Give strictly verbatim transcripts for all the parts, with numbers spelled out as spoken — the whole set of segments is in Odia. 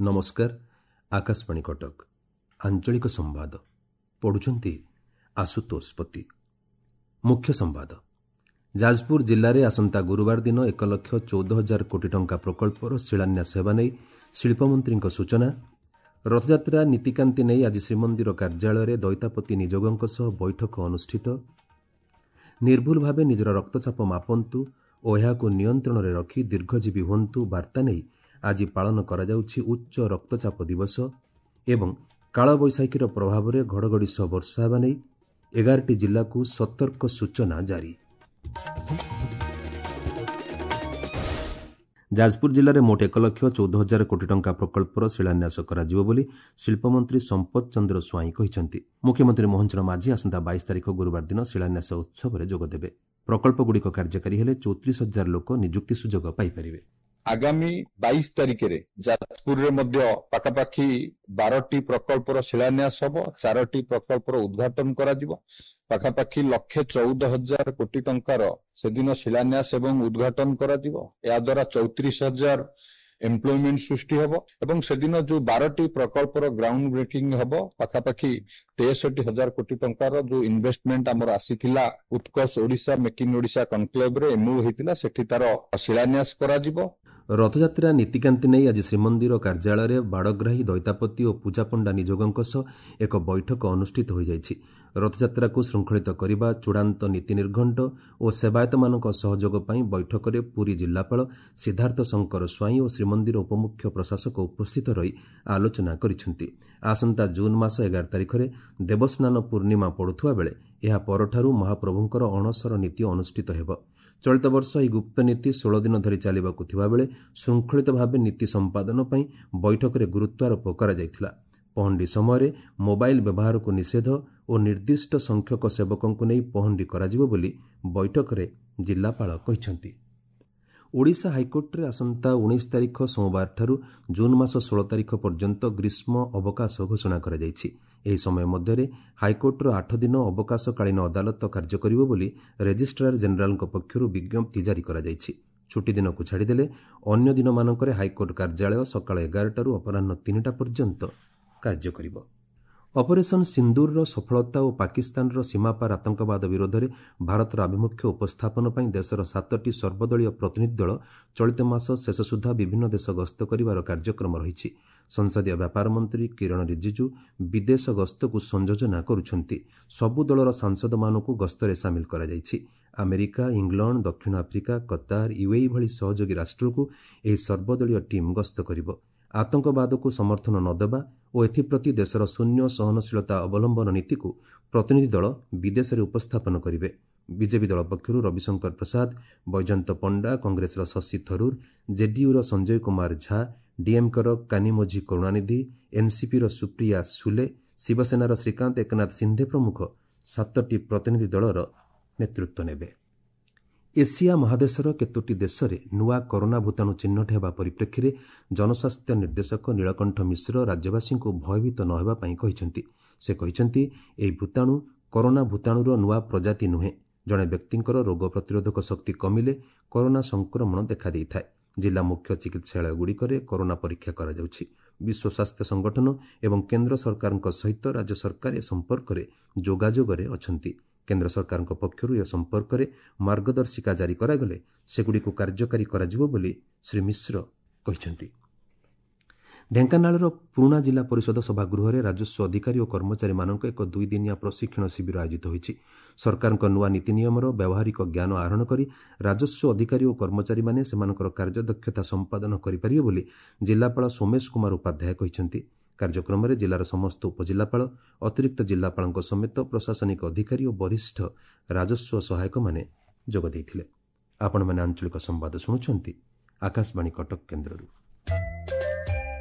ନମସ୍କାର, ଆକାଶବାଣୀ କଟକ, ଆଞ୍ଚଳିକ ସମ୍ବାଦ ପଢୁଛନ୍ତି ଆଶୁତୋଷ ପତି। ମୁଖ୍ୟ ସମ୍ବାଦ। ଯାଜପୁର ଜିଲ୍ଲାରେ ଆସନ୍ତା ଗୁରୁବାର ଦିନ ଏକ ଲକ୍ଷ ଚଉଦ ହଜାର କୋଟି ଟଙ୍କା ପ୍ରକଳ୍ପର ଶିଳାନ୍ୟାସ ହେବା ନେଇ ଶିଳ୍ପମନ୍ତ୍ରୀଙ୍କ ସୂଚନା। ରଥଯାତ୍ରା ନୀତିକାନ୍ତି ନେଇ ଆଜି ଶ୍ରୀମନ୍ଦିର କାର୍ଯ୍ୟାଳୟରେ ଦଇତାପତି ନିଯୋଗଙ୍କ ସହ ବୈଠକ ଅନୁଷ୍ଠିତ। ନିର୍ଭୁଲ ଭାବେ ନିଜର ରକ୍ତଚାପ ମାପନ୍ତୁ ଓ ଏହାକୁ ନିୟନ୍ତ୍ରଣରେ ରଖି ଦୀର୍ଘଜୀବୀ ହୁଅନ୍ତୁ ବାର୍ତ୍ତା ନେଇ ଆଜି ପାଳନ କରାଯାଉଛି ଉଚ୍ଚ ରକ୍ତଚାପ ଦିବସ। ଏବଂ କାଳବୈଶାଖୀର ପ୍ରଭାବରେ ଘଡ଼ଘଡ଼ି ସହ ବର୍ଷା ହେବା ନେଇ ଏଗାରଟି ଜିଲ୍ଲାକୁ ସତର୍କ ସୂଚନା ଜାରି। ଯାଜପୁର ଜିଲ୍ଲାରେ ମୋଟ ଏକ ଲକ୍ଷ ଚଉଦ ହଜାର କୋଟି ଟଙ୍କା ପ୍ରକଳ୍ପର ଶିଳାନ୍ୟାସ କରାଯିବ ବୋଲି ଶିଳ୍ପମନ୍ତ୍ରୀ ସମ୍ପଦ ଚନ୍ଦ୍ର ସ୍ୱାଇଁ କହିଛନ୍ତି। ମୁଖ୍ୟମନ୍ତ୍ରୀ ମୋହନ ଚରଣ ମାଝୀ ଆସନ୍ତା ବାଇଶ ତାରିଖ ଗୁରୁବାର ଦିନ ଶିଳାନ୍ୟାସ ଉତ୍ସବରେ ଯୋଗଦେବେ। ପ୍ରକଳ୍ପଗୁଡ଼ିକ କାର୍ଯ୍ୟକାରୀ ହେଲେ ଚଉତିରିଶ ହଜାର ଲୋକ ନିଯୁକ୍ତି ସୁଯୋଗ ପାଇପାରିବେ। ଆଗାମୀ ବାଇଶ ତାରିଖରେ ଯାଜପୁରରେ ମଧ୍ୟ ପାଖାପାଖି ବାରଟି ପ୍ରକଳ୍ପର ଶିଳାନ୍ୟାସ ହବ, ଚାରୋଟି ପ୍ରକଳ୍ପର ଉଦ୍ଘାଟନ କରାଯିବ। ପାଖାପାଖି ଲକ୍ଷେ ଚଉଦ ହଜାର କୋଟି ଟଙ୍କାର ସେଦିନ ଶିଳାନ୍ୟାସ ଏବଂ ଉଦ୍ଘାଟନ କରାଯିବ। ଏହାଦ୍ୱାରା ଚଉତିରିଶ ହଜାର ଏମ୍ପ୍ଲୟମେଣ୍ଟ ସୃଷ୍ଟି ହେବ ଏବଂ ସେଦିନ ଯୋଉ ବାରଟି ପ୍ରକଳ୍ପର ଗ୍ରାଉଣ୍ଡ ବ୍ରେକିଂ ହେବ, ପାଖାପାଖି ତେଷଠି ହଜାର କୋଟି ଟଙ୍କାର ଯୋଉ ଇନଭେଷ୍ଟମେଣ୍ଟ ଆମର ଆସିଥିଲା ଉତ୍କର୍ଷ ଓଡ଼ିଶା ମେକ୍ ଇନ୍ ଓଡ଼ିଶା କନକ୍ଲେଭରେ ଏମଓ ହେଇଥିଲା, ସେଠି ତାର ଶିଳାନ୍ୟାସ କରାଯିବ। ରଥଯାତ୍ରା ନୀତିକାନ୍ତି ନେଇ ଆଜି ଶ୍ରୀମନ୍ଦିର କାର୍ଯ୍ୟାଳୟରେ ବାଡ଼ଗ୍ରାହୀ, ଦଇତାପତି ଓ ପୂଜାପଣ୍ଡା ନିଯୋଗଙ୍କ ସହ ଏକ ବୈଠକ ଅନୁଷ୍ଠିତ ହୋଇଯାଇଛି। ରଥଯାତ୍ରାକୁ ଶୃଙ୍ଖଳିତ କରିବା, ଚୂଡ଼ାନ୍ତ ନୀତି ନିର୍ଘଣ୍ଟ ଓ ସେବାୟତମାନଙ୍କ ସହଯୋଗ ପାଇଁ ବୈଠକରେ ପୁରୀ ଜିଲ୍ଲାପାଳ ସିଦ୍ଧାର୍ଥ ଶଙ୍କର ସ୍ୱାଇଁ ଓ ଶ୍ରୀମନ୍ଦିର ଉପମୁଖ୍ୟ ପ୍ରଶାସକ ଉପସ୍ଥିତ ରହି ଆଲୋଚନା କରିଛନ୍ତି। ଆସନ୍ତା ଜୁନ୍ ମାସ ଏଗାର ତାରିଖରେ ଦେବସ୍ନାନ ପୂର୍ଣ୍ଣିମା ପଡ଼ୁଥିବା ବେଳେ ଏହା ପରଠାରୁ ମହାପ୍ରଭୁଙ୍କର ଅଣସର ନୀତି ଅନୁଷ୍ଠିତ ହେବ। ଚଳିତ ବର୍ଷ ଏହି ଗୁପ୍ତ ନୀତି ଷୋହଳ ଦିନ ଧରି ଚାଲିବାକୁ ଥିବାବେଳେ ଶୃଙ୍ଖଳିତ ଭାବେ ନୀତି ସମ୍ପାଦନ ପାଇଁ ବୈଠକରେ ଗୁରୁତ୍ୱାରୋପ କରାଯାଇଥିଲା। ପହଣ୍ଡି ସମୟରେ ମୋବାଇଲ ବ୍ୟବହାରକୁ ନିଷେଧ ଓ ନିର୍ଦ୍ଦିଷ୍ଟ ସଂଖ୍ୟକ ସେବକଙ୍କୁ ନେଇ ପହଣ୍ଡି କରାଯିବ ବୋଲି ବୈଠକରେ ଜିଲ୍ଲାପାଳ କହିଛନ୍ତି। ଓଡ଼ିଶା ହାଇକୋର୍ଟରେ ଆସନ୍ତା ଉଣେଇଶ ତାରିଖ ସୋମବାରଠାରୁ ଜୁନ୍ ମାସ ଷୋହଳ ତାରିଖ ପର୍ଯ୍ୟନ୍ତ ଗ୍ରୀଷ୍ମ ଅବକାଶ ଘୋଷଣା କରାଯାଇଛି। ଏହି ସମୟ ମଧ୍ୟରେ ହାଇକୋର୍ଟର ଆଠ ଦିନ ଅବକାଶକାଳୀନ ଅଦାଲତ କାର୍ଯ୍ୟ କରିବ ବୋଲି ରେଜିଷ୍ଟ୍ରାର ଜେନେରାଲଙ୍କ ପକ୍ଷରୁ ବିଜ୍ଞପ୍ତି ଜାରି କରାଯାଇଛି। ଛୁଟିଦିନକୁ ଛାଡ଼ିଦେଲେ ଅନ୍ୟ ଦିନମାନଙ୍କରେ ହାଇକୋର୍ଟ କାର୍ଯ୍ୟାଳୟ ସକାଳ ଏଗାରଟାରୁ ଅପରାହ୍ନ ତିନିଟା ପର୍ଯ୍ୟନ୍ତ କାର୍ଯ୍ୟ କରିବ। ଅପରେସନ୍ ସିନ୍ଦୁରର ସଫଳତା ଓ ପାକିସ୍ତାନର ସୀମାପାର ଆତଙ୍କବାଦ ବିରୋଧରେ ଭାରତର ଆଭିମୁଖ୍ୟ ଉପସ୍ଥାପନ ପାଇଁ ଦେଶର ସାତଟି ସର୍ବଦଳୀୟ ପ୍ରତିନିଧି ଦଳ ଚଳିତ ମାସ ଶେଷ ସୁଦ୍ଧା ବିଭିନ୍ନ ଦେଶ ଗସ୍ତ କରିବାର କାର୍ଯ୍ୟକ୍ରମ ରହିଛି। ସଂସଦୀୟ ବ୍ୟାପାର ମନ୍ତ୍ରୀ କିରଣ ରିଜିଜୁ ବିଦେଶ ଗସ୍ତକୁ ସଂଯୋଜନା କରୁଛନ୍ତି। ସବୁ ଦଳର ସାଂସଦମାନଙ୍କୁ ଗସ୍ତରେ ସାମିଲ କରାଯାଇଛି। ଆମେରିକା, ଇଂଲଣ୍ଡ, ଦକ୍ଷିଣ ଆଫ୍ରିକା, କତାର, ୟୁଏଇ ଭଳି ସହଯୋଗୀ ରାଷ୍ଟ୍ରକୁ ଏହି ସର୍ବଦଳୀୟ ଟିମ୍ ଗସ୍ତ କରିବ। ଆତଙ୍କବାଦକୁ ସମର୍ଥନ ନ ଦେବା ଓ ଏଥିପ୍ରତି ଦେଶର ଶୂନ୍ୟ ସହନଶୀଳତା ଅବଲମ୍ବନ ନୀତିକୁ ପ୍ରତିନିଧି ଦଳ ବିଦେଶରେ ଉପସ୍ଥାପନ କରିବେ। ବିଜେପି ଦଳ ପକ୍ଷରୁ ରବିଶଙ୍କର ପ୍ରସାଦ, ବୈଜୟନ୍ତ ପଣ୍ଡା, କଂଗ୍ରେସର ଶଶି ଥରୁର, ଜେଡିୟୁର ସଞ୍ଜୟ କୁମାର ଝା, ଡିଏମ୍କେର କାନିମୋଝି କରୁଣାନିଧି, ଏନ୍ସିପିର ସୁପ୍ରିୟା ସୁଲେ, ଶିବସେନାର ଶ୍ରୀକାନ୍ତ ଏକନାଥ ସିନ୍ଧେ ପ୍ରମୁଖ ସାତଟି ପ୍ରତିନିଧି ଦଳର ନେତୃତ୍ୱ ନେବେ। ଏସିଆ ମହାଦେଶର କେତୋଟି ଦେଶରେ ନୂଆ କରୋନା ଭୂତାଣୁ ଚିହ୍ନଟ ହେବା ପରିପ୍ରେକ୍ଷୀରେ ଜନସ୍ୱାସ୍ଥ୍ୟ ନିର୍ଦ୍ଦେଶକ ନୀଳକଣ୍ଠ ମିଶ୍ର ରାଜ୍ୟବାସୀଙ୍କୁ ଭୟଭୀତ ନ ହେବା ପାଇଁ କହିଛନ୍ତି। ସେ କହିଛନ୍ତି, ଏହି ଭୂତାଣୁ କରୋନା ଭୂତାଣୁର ନୂଆ ପ୍ରଜାତି ନୁହେଁ। ଜଣେ ବ୍ୟକ୍ତିଙ୍କର ରୋଗ ପ୍ରତିରୋଧକ ଶକ୍ତି କମିଲେ କରୋନା ସଂକ୍ରମଣ ଦେଖାଦେଇଥାଏ। ଜିଲ୍ଲା ମୁଖ୍ୟ ଚିକିତ୍ସାଳୟଗୁଡ଼ିକରେ କରୋନା ପରୀକ୍ଷା କରାଯାଉଛି। ବିଶ୍ୱ ସ୍ୱାସ୍ଥ୍ୟ ସଂଗଠନ ଏବଂ କେନ୍ଦ୍ର ସରକାରଙ୍କ ସହିତ ରାଜ୍ୟ ସରକାର ଏ ସମ୍ପର୍କରେ ଯୋଗାଯୋଗରେ ଅଛନ୍ତି। କେନ୍ଦ୍ର ସରକାରଙ୍କ ପକ୍ଷରୁ ଏ ସମ୍ପର୍କରେ ମାର୍ଗଦର୍ଶିକା ଜାରି କରାଗଲେ ସେଗୁଡ଼ିକୁ କାର୍ଯ୍ୟକାରୀ କରାଯିବ ବୋଲି ଶ୍ରୀ ମିଶ୍ର କହିଛନ୍ତି। ଢେଙ୍କାନାଳର ପୁରୁଣା ଜିଲ୍ଲା ପରିଷଦ ସଭାଗୃହରେ ରାଜସ୍ୱ ଅଧିକାରୀ ଓ କର୍ମଚାରୀମାନଙ୍କ ଏକ ଦୁଇଦିନିଆ ପ୍ରଶିକ୍ଷଣ ଶିବିର ଆୟୋଜିତ ହୋଇଛି। ସରକାରଙ୍କ ନୂଆ ନୀତି ନିୟମର ବ୍ୟବହାରିକ ଜ୍ଞାନ ଆହରଣ କରି ରାଜସ୍ୱ ଅଧିକାରୀ ଓ କର୍ମଚାରୀମାନେ ସେମାନଙ୍କର କାର୍ଯ୍ୟଦକ୍ଷତା ସମ୍ପାଦନ କରିପାରିବେ ବୋଲି ଜିଲ୍ଲାପାଳ ସୋମେଶ କୁମାର ଉପାଧ୍ୟାୟ କହିଛନ୍ତି। କାର୍ଯ୍ୟକ୍ରମରେ ଜିଲ୍ଲାର ସମସ୍ତ ଉପଜିଲ୍ଲାପାଳ, ଅତିରିକ୍ତ ଜିଲ୍ଲାପାଳଙ୍କ ସମେତ ପ୍ରଶାସନିକ ଅଧିକାରୀ ଓ ବରିଷ୍ଠ ରାଜସ୍ୱ ସହାୟକମାନେ ଯୋଗ ଦେଇଥିଲେ। ଆପଣମାନେ ଆଞ୍ଚଳିକ ସମ୍ବାଦ ଶୁଣୁଛନ୍ତି ଆକାଶବାଣୀ କଟକ କେନ୍ଦ୍ରରୁ।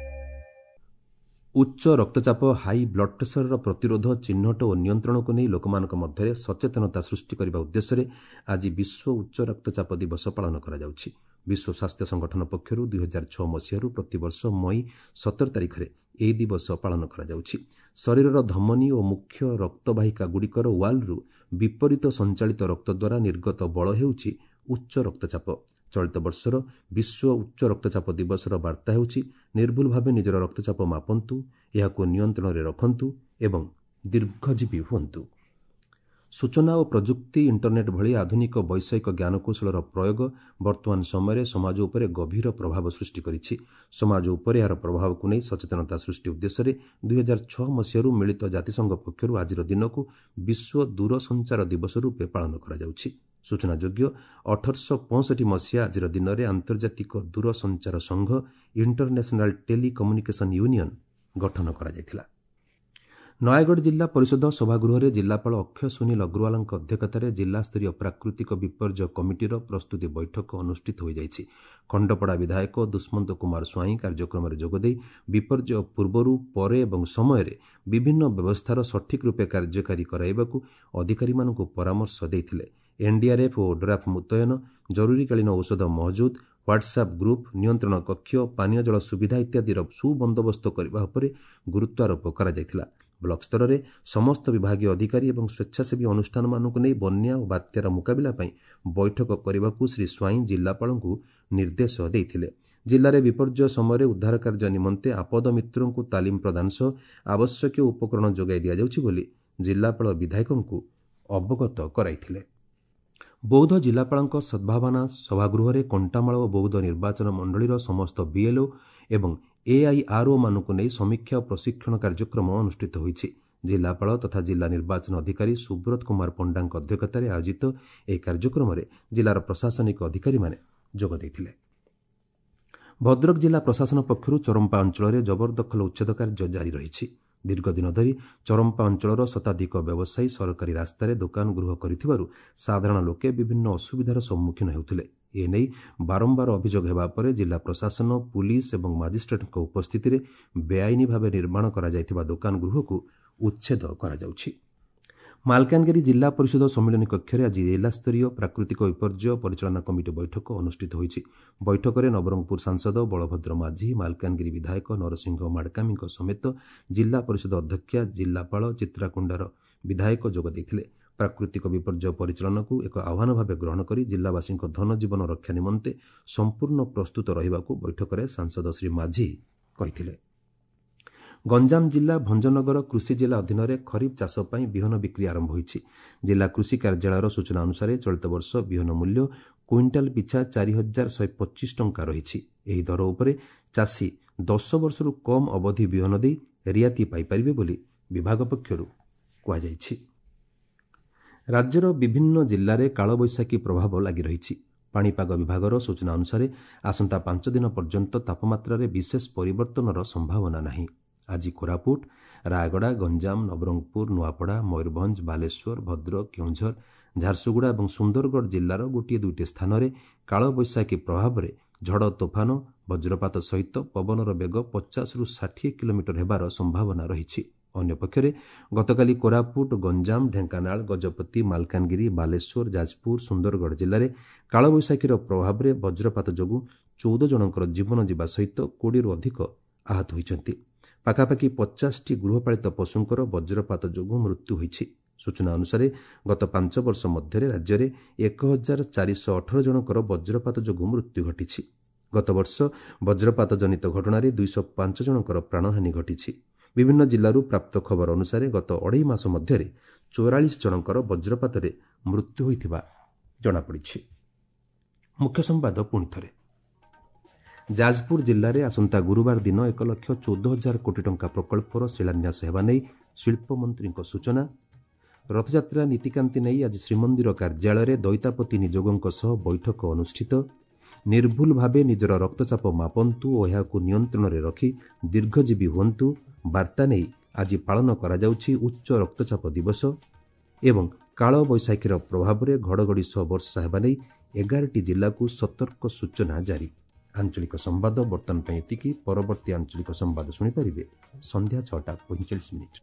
ଉଚ୍ଚ ରକ୍ତଚାପ, ହାଇ ବ୍ଲଡ୍ ପ୍ରେସରର ପ୍ରତିରୋଧ, ଚିହ୍ନଟ ଓ ନିୟନ୍ତ୍ରଣକୁ ନେଇ ଲୋକମାନଙ୍କ ମଧ୍ୟରେ ସଚେତନତା ସୃଷ୍ଟି କରିବା ଉଦ୍ଦେଶ୍ୟରେ ଆଜି ବିଶ୍ୱ ଉଚ୍ଚ ରକ୍ତଚାପ ଦିବସ ପାଳନ କରାଯାଉଛି। ବିଶ୍ୱ ସ୍ୱାସ୍ଥ୍ୟ ସଂଗଠନ ପକ୍ଷରୁ ଦୁଇ ହଜାର ଛଅ ମସିହାରୁ ପ୍ରତିବର୍ଷ ମଇ ସତର ତାରିଖରେ ଏହି ଦିବସ ପାଳନ କରାଯାଉଛି। ଶରୀରର ଧମନୀ ଓ ମୁଖ୍ୟ ରକ୍ତବାହିକାଗୁଡ଼ିକର ୱାଲ୍ରୁ ବିପରୀତ ସଞ୍ଚାଳିତ ରକ୍ତ ଦ୍ୱାରା ନିର୍ଗତ ବଳ ହେଉଛି ଉଚ୍ଚ ରକ୍ତଚାପ। ଚଳିତ ବର୍ଷର ବିଶ୍ୱ ଉଚ୍ଚ ରକ୍ତଚାପ ଦିବସର ବାର୍ତ୍ତା ହେଉଛି ନିର୍ଭୁଲ ଭାବେ ନିଜର ରକ୍ତଚାପ ମାପନ୍ତୁ, ଏହାକୁ ନିୟନ୍ତ୍ରଣରେ ରଖନ୍ତୁ ଏବଂ ଦୀର୍ଘଜୀବୀ ହୁଅନ୍ତୁ। ସୂଚନା ଓ ପ୍ରଯୁକ୍ତି, ଇଣ୍ଟରନେଟ୍ ଭଳି ଆଧୁନିକ ବୈଷୟିକ ଜ୍ଞାନକୌଶଳର ପ୍ରୟୋଗ ବର୍ତ୍ତମାନ ସମୟରେ ସମାଜ ଉପରେ ଗଭୀର ପ୍ରଭାବ ସୃଷ୍ଟି କରିଛି। ସମାଜ ଉପରେ ଏହାର ପ୍ରଭାବକୁ ନେଇ ସଚେତନତା ସୃଷ୍ଟି ଉଦ୍ଦେଶ୍ୟରେ ଦୁଇହଜାର ଛଅ ମସିହାରୁ ମିଳିତ ଜାତିସଂଘ ପକ୍ଷରୁ ଆଜିର ଦିନକୁ ବିଶ୍ୱ ଦୂରସଞ୍ଚାର ଦିବସ ରୂପେ ପାଳନ କରାଯାଉଛି। ସୂଚନାଯୋଗ୍ୟ, ଅଠରଶହ ପଞ୍ଚଷଠି ମସିହା ଆଜିର ଦିନରେ ଆନ୍ତର୍ଜାତିକ ଦୂରସଞ୍ଚାର ସଂଘ ଇଣ୍ଟରନ୍ୟାସନାଲ ଟେଲିକମ୍ୟୁନିକେସନ୍ ୟୁନିୟନ୍ ଗଠନ କରାଯାଇଥିଲା। ନୟାଗଡ଼ ଜିଲ୍ଲା ପରିଷଦ ସଭାଗୃହରେ ଜିଲ୍ଲାପାଳ ଅକ୍ଷୟ ସୁନୀଲ ଅଗ୍ରୱାଲଙ୍କ ଅଧ୍ୟକ୍ଷତାରେ ଜିଲ୍ଲାସ୍ତରୀୟ ପ୍ରାକୃତିକ ବିପର୍ଯ୍ୟୟ କମିଟିର ପ୍ରସ୍ତୁତି ବୈଠକ ଅନୁଷ୍ଠିତ ହୋଇଯାଇଛି। ଖଣ୍ଡପଡ଼ା ବିଧାୟକ ଦୁଷ୍ମନ୍ତ କୁମାର ସ୍ୱାଇଁ କାର୍ଯ୍ୟକ୍ରମରେ ଯୋଗଦେଇ ବିପର୍ଯ୍ୟୟ ପୂର୍ବରୁ, ପରେ ଏବଂ ସମୟରେ ବିଭିନ୍ନ ବ୍ୟବସ୍ଥାର ସଠିକ୍ ରୂପେ କାର୍ଯ୍ୟକାରୀ କରାଇବାକୁ ଅଧିକାରୀମାନଙ୍କୁ ପରାମର୍ଶ ଦେଇଥିଲେ। ଏନ୍ଡିଆର୍ଏଫ୍ ଓ ଓଡ୍ରାଫ୍ ମୁତୟନ, ଜରୁରୀକାଳୀନ ଔଷଧ ମହଜୁଦ, ହ୍ୱାଟ୍ସଆପ୍ ଗ୍ରୁପ୍, ନିୟନ୍ତ୍ରଣ କକ୍ଷ, ପାନୀୟ ଜଳ ସୁବିଧା ଇତ୍ୟାଦିର ସୁବନ୍ଦୋବସ୍ତ କରିବା ଉପରେ ଗୁରୁତ୍ୱାରୋପ କରାଯାଇଥିଲା। ବ୍ଲକ ସ୍ତରରେ ସମସ୍ତ ବିଭାଗୀୟ ଅଧିକାରୀ ଏବଂ ସ୍ୱେଚ୍ଛାସେବୀ ଅନୁଷ୍ଠାନମାନଙ୍କୁ ନେଇ ବନ୍ୟା ଓ ବାତ୍ୟାର ମୁକାବିଲା ପାଇଁ ବୈଠକ କରିବାକୁ ଶ୍ରୀ ସ୍ୱାଇଁ ଜିଲ୍ଲାପାଳଙ୍କୁ ନିର୍ଦ୍ଦେଶ ଦେଇଥିଲେ। ଜିଲ୍ଲାରେ ବିପର୍ଯ୍ୟୟ ସମୟରେ ଉଦ୍ଧାର କାର୍ଯ୍ୟ ନିମନ୍ତେ ଆପଦ ମିତ୍ରଙ୍କୁ ତାଲିମ ପ୍ରଦାନ ସହ ଆବଶ୍ୟକୀୟ ଉପକରଣ ଯୋଗାଇ ଦିଆଯାଉଛି ବୋଲି ଜିଲ୍ଲାପାଳ ବିଧାୟକଙ୍କୁ ଅବଗତ କରାଇଥିଲେ। ବୌଦ୍ଧ ଜିଲ୍ଲାପାଳଙ୍କ ସଦ୍ଭାବନା ସଭାଗୃହରେ କଣ୍ଟାମାଳ ଓ ବୌଦ୍ଧ ନିର୍ବାଚନ ମଣ୍ଡଳୀର ସମସ୍ତ ବିଏଲ୍ଓ ଏବଂ ଏଆଇଆର୍ଓମାନଙ୍କୁ ନେଇ ସମୀକ୍ଷା ଓ ପ୍ରଶିକ୍ଷଣ କାର୍ଯ୍ୟକ୍ରମ ଅନୁଷ୍ଠିତ ହୋଇଛି। ଜିଲ୍ଲାପାଳ ତଥା ଜିଲ୍ଲା ନିର୍ବାଚନ ଅଧିକାରୀ ସୁବ୍ରତ କୁମାର ପଣ୍ଡାଙ୍କ ଅଧ୍ୟକ୍ଷତାରେ ଆୟୋଜିତ ଏହି କାର୍ଯ୍ୟକ୍ରମରେ ଜିଲ୍ଲାର ପ୍ରଶାସନିକ ଅଧିକାରୀମାନେ ଯୋଗ ଦେଇଥିଲେ। ଭଦ୍ରକ ଜିଲ୍ଲା ପ୍ରଶାସନ ପକ୍ଷରୁ ଚରମ୍ପା ଅଞ୍ଚଳରେ ଜବରଦଖଲ ଉଚ୍ଛେଦ କାର୍ଯ୍ୟ ଜାରି ରହିଛି। ଦୀର୍ଘଦିନ ଧରି ଚରମ୍ପା ଅଞ୍ଚଳର ଶତାଧିକ ବ୍ୟବସାୟୀ ସରକାରୀ ରାସ୍ତାରେ ଦୋକାନ ଗୃହ କରିଥିବାରୁ ସାଧାରଣ ଲୋକେ ବିଭିନ୍ନ ଅସୁବିଧାର ସମ୍ମୁଖୀନ ହେଉଥିଲେ। ଏନେଇ ବାରମ୍ବାର ଅଭିଯୋଗ ହେବା ପରେ ଜିଲ୍ଲା ପ୍ରଶାସନ, ପୁଲିସ ଏବଂ ମାଜିଷ୍ଟ୍ରେଟଙ୍କ ଉପସ୍ଥିତିରେ ବେଆଇନ ଭାବେ ନିର୍ମାଣ କରାଯାଇଥିବା ଦୋକାନ ଗୃହକୁ ଉଚ୍ଛେଦ କରାଯାଉଛି। ମାଲକାନଗିରି ଜିଲ୍ଲା ପରିଷଦ ସମ୍ମିଳନୀ କକ୍ଷରେ ଆଜି ଜିଲ୍ଲାସ୍ତରୀୟ ପ୍ରାକୃତିକ ବିପର୍ଯ୍ୟୟ ପରିଚାଳନା କମିଟି ବୈଠକ ଅନୁଷ୍ଠିତ ହୋଇଛି। ବୈଠକରେ ନବରଙ୍ଗପୁର ସାଂସଦ ବଳଭଦ୍ର ମାଝୀ, ମାଲକାନଗିରି ବିଧାୟକ ନରସିଂହ ମାଡ଼କାମୀଙ୍କ ସମେତ ଜିଲ୍ଲା ପରିଷଦ ଅଧ୍ୟକ୍ଷା, ଜିଲ୍ଲାପାଳ, ଚିତ୍ରାକୁଣ୍ଡାର ବିଧାୟକ ଯୋଗ ଦେଇଥିଲେ। ପ୍ରାକୃତିକ ବିପର୍ଯ୍ୟୟ ପରିଚାଳନାକୁ ଏକ ଆହ୍ୱାନ ଭାବେ ଗ୍ରହଣ କରି ଜିଲ୍ଲାବାସୀଙ୍କ ଧନଜୀବନ ରକ୍ଷା ନିମନ୍ତେ ସମ୍ପୂର୍ଣ୍ଣ ପ୍ରସ୍ତୁତ ରହିବାକୁ ବୈଠକରେ ସାଂସଦ ଶ୍ରୀ ମାଝୀ କହିଥିଲେ। ଗଞ୍ଜାମ ଜିଲ୍ଲା ଭଞ୍ଜନଗର କୃଷି ଜିଲ୍ଲା ଅଧୀନରେ ଖରିଫ ଚାଷ ପାଇଁ ବିହନ ବିକ୍ରି ଆରମ୍ଭ ହୋଇଛି। ଜିଲ୍ଲା କୃଷି କାର୍ଯ୍ୟାଳୟର ସୂଚନା ଅନୁସାରେ ଚଳିତ ବର୍ଷ ବିହନ ମୂଲ୍ୟ କୁଇଣ୍ଟାଲ ପିଛା ଚାରି ହଜାର ଶହେ ପଚିଶ ଟଙ୍କା ରହିଛି। ଏହି ଦର ଉପରେ ଚାଷୀ ଦଶ ବର୍ଷରୁ କମ୍ ଅବଧି ବିହନ ଦେଇ ରିହାତି ପାଇପାରିବେ ବୋଲି ବିଭାଗ ପକ୍ଷରୁ କୁହାଯାଇଛି। ରାଜ୍ୟର ବିଭିନ୍ନ ଜିଲ୍ଲାରେ କାଳବୈଶାଖୀ ପ୍ରଭାବ ଲାଗି ରହିଛି। ପାଣିପାଗ ବିଭାଗର ସୂଚନା ଅନୁସାରେ ଆସନ୍ତା ପାଞ୍ଚ ଦିନ ପର୍ଯ୍ୟନ୍ତ ତାପମାତ୍ରାରେ ବିଶେଷ ପରିବର୍ତ୍ତନର ସମ୍ଭାବନା ନାହିଁ। ଆଜି କୋରାପୁଟ, ରାୟଗଡ଼ା, ଗଞ୍ଜାମ, ନବରଙ୍ଗପୁର, ନୂଆପଡ଼ା, ମୟୂରଭଞ୍ଜ, ବାଲେଶ୍ୱର, ଭଦ୍ରକ, କେଉଁଝର, ଝାରସୁଗୁଡ଼ା ଏବଂ ସୁନ୍ଦରଗଡ଼ ଜିଲ୍ଲାର ଗୋଟିଏ ଦୁଇଟି ସ୍ଥାନରେ କାଳବୈଶାଖୀ ପ୍ରଭାବରେ ଝଡ଼ ତୋଫାନ, ବଜ୍ରପାତ ସହିତ ପବନର ବେଗ ପଚାଶରୁ ଷାଠିଏ କିଲୋମିଟର ହେବାର ସମ୍ଭାବନା ରହିଛି। ଅନ୍ୟପକ୍ଷରେ ଗତକାଲି କୋରାପୁଟ, ଗଞ୍ଜାମ, ଢେଙ୍କାନାଳ, ଗଜପତି, ମାଲକାନଗିରି, ବାଲେଶ୍ୱର, ଯାଜପୁର, ସୁନ୍ଦରଗଡ଼ ଜିଲ୍ଲାରେ କାଳବୈଶାଖୀର ପ୍ରଭାବରେ ବଜ୍ରପାତ ଯୋଗୁଁ ଚଉଦ ଜଣଙ୍କର ଜୀବନ ଯିବା ସହିତ କୋଡ଼ିଏରୁ ଅଧିକ ଆହତ ହୋଇଛନ୍ତି। ପାଖାପାଖି ପଚାଶଟି ଗୃହପାଳିତ ପଶୁଙ୍କର ବଜ୍ରପାତ ଯୋଗୁଁ ମୃତ୍ୟୁ ହୋଇଛି। ସୂଚନା ଅନୁସାରେ ଗତ ପାଞ୍ଚ ବର୍ଷ ମଧ୍ୟରେ ରାଜ୍ୟରେ ଏକ ହଜାର ଚାରିଶହ ଅଠର ଜଣଙ୍କର ବଜ୍ରପାତ ଯୋଗୁଁ ମୃତ୍ୟୁ ଘଟିଛି। ଗତବର୍ଷ ବଜ୍ରପାତ ଜନିତ ଘଟଣାରେ ଦୁଇଶହ ପାଞ୍ଚ ଜଣଙ୍କର ପ୍ରାଣହାନି ଘଟିଛି। ବିଭିନ୍ନ ଜିଲ୍ଲାରୁ ପ୍ରାପ୍ତ ଖବର ଅନୁସାରେ ଗତ ଅଢ଼େଇ ମାସ ମଧ୍ୟରେ ଚଉରାଳିଶ ଜଣଙ୍କର ବଜ୍ରପାତରେ ମୃତ୍ୟୁ ହୋଇଥିବା ଜଣାପଡ଼ିଛି। ମୁଖ୍ୟ ସମ୍ବାଦ ପୁଣି ଥରେ। ଯାଜପୁର ଜିଲ୍ଲାରେ ଆସନ୍ତା ଗୁରୁବାର ଦିନ ଏକ ଲକ୍ଷ ଚଉଦ ହଜାର କୋଟି ଟଙ୍କା ପ୍ରକଳ୍ପର ଶିଳାନ୍ୟାସ ହେବା ନେଇ ଶିଳ୍ପମନ୍ତ୍ରୀଙ୍କ ସୂଚନା। ରଥଯାତ୍ରା ନୀତିକାନ୍ତି ନେଇ ଆଜି ଶ୍ରୀମନ୍ଦିର କାର୍ଯ୍ୟାଳୟରେ ଦଇତାପତି ନିଯୋଗଙ୍କ ସହ ବୈଠକ ଅନୁଷ୍ଠିତ। ନିର୍ଭୁଲ ଭାବେ ନିଜର ରକ୍ତଚାପ ମାପନ୍ତୁ ଓ ଏହାକୁ ନିୟନ୍ତ୍ରଣରେ ରଖି ଦୀର୍ଘଜୀବୀ ହୁଅନ୍ତୁ ବାର୍ତ୍ତା ନେଇ ଆଜି ପାଳନ କରାଯାଉଛି ଉଚ୍ଚ ରକ୍ତଚାପ ଦିବସ। ଏବଂ କାଳବୈଶାଖୀର ପ୍ରଭାବରେ ଘଡ଼ଘଡ଼ି ସହ ବର୍ଷା ହେବା ନେଇ ଏଗାରଟି ଜିଲ୍ଲାକୁ ସତର୍କ ସୂଚନା ଜାରି। ଆଞ୍ଚଳିକ ସମ୍ବାଦ ବର୍ତ୍ତମାନ ପାଇଁ ଏତିକି। ପରବର୍ତ୍ତୀ ଆଞ୍ଚଳିକ ସମ୍ବାଦ ଶୁଣିପାରିବେ ସନ୍ଧ୍ୟା ଛଅଟା ପଇଁଚାଳିଶ ମିନିଟ୍।